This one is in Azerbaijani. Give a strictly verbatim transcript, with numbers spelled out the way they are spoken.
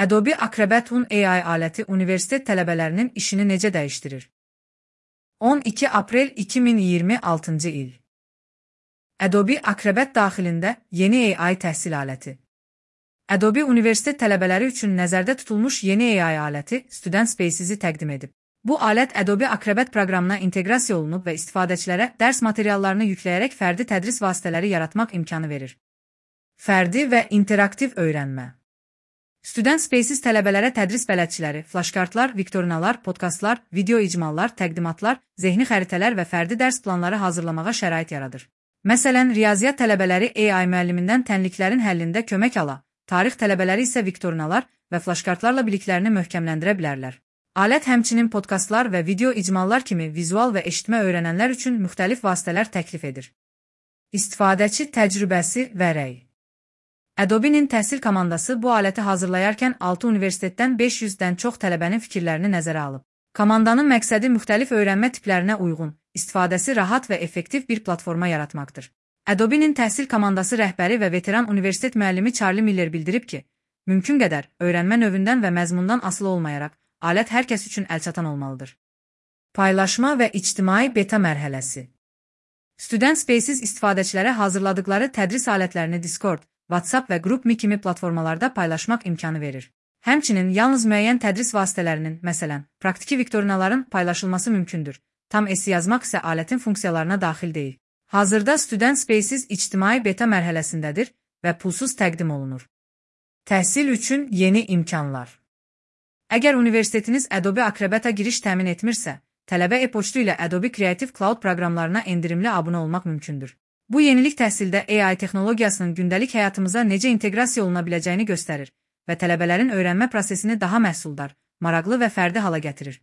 Adobe Acrobat on A I aləti universitet tələbələrinin işini necə dəyişdirir? on iki aprel iki min iyirmi altıncı il. Adobe Acrobat daxilində yeni A I təhsil aləti. Adobe universitet tələbələri üçün nəzərdə tutulmuş yeni A I aləti Student Spaces-i təqdim edib. Bu alət Adobe Acrobat proqramına inteqrasiya olunub və istifadəçilərə dərs materiallarını yükləyərək fərdi tədris vasitələri yaratmaq imkanı verir. Fərdi və interaktiv öyrənmə. Student Spaces tələbələrə tədris bələdçiləri, flaşkartlar, viktorinalar, podkastlar, video icmallar, təqdimatlar, zehni xəritələr və fərdi dərs planları hazırlamağa şərait yaradır. Məsələn, riyaziyyat tələbələri A I müəllimindən tənliklərin həllində kömək ala, tarix tələbələri isə viktorinalar və flaşkartlarla biliklərini möhkəmləndirə bilərlər. Alət həmçinin podkastlar və video icmallar kimi vizual və eşitmə öyrənənlər üçün müxtəlif vasitələr təklif edir. İstifadəçi təcrübəsi və rəy. Adobe-nin təhsil komandası bu aləti hazırlayarkən altı universitetdən beş yüzdən çox tələbənin fikirlərini nəzərə alıb. Komandanın məqsədi müxtəlif öyrənmə tiplərinə uyğun, istifadəsi rahat və effektiv bir platforma yaratmaqdır. Adobe-nin təhsil komandası rəhbəri və veteran universitet müəllimi Charlie Miller bildirib ki, mümkün qədər öyrənmə növündən və məzmundan asılı olmayaraq, alət hər kəs üçün əlçatan olmalıdır. Paylaşma və ictimai beta mərhələsi. Student Spaces istifadəçilərə hazırladıkları tədris alətlərini Discord, WhatsApp və GroupMe kimi platformalarda paylaşmaq imkanı verir. Həmçinin yalnız müəyyən tədris vasitələrinin, məsələn, praktiki viktorinaların paylaşılması mümkündür. Tam esse yazmaq isə alətin funksiyalarına daxil deyil. Hazırda Student Spaces ictimai beta mərhələsindədir və pulsuz təqdim olunur. Təhsil üçün yeni imkanlar. Əgər universitetiniz Adobe Acrobat-a giriş təmin etmirsə, tələbə e-poçtu ilə Adobe Creative Cloud proqramlarına endirimli abunə olmaq mümkündür. Bu yenilik təhsildə A I texnologiyasının gündəlik həyatımıza necə inteqrasiya oluna biləcəyini göstərir və tələbələrin öyrənmə prosesini daha məhsuldar, maraqlı və fərdi hala gətirir.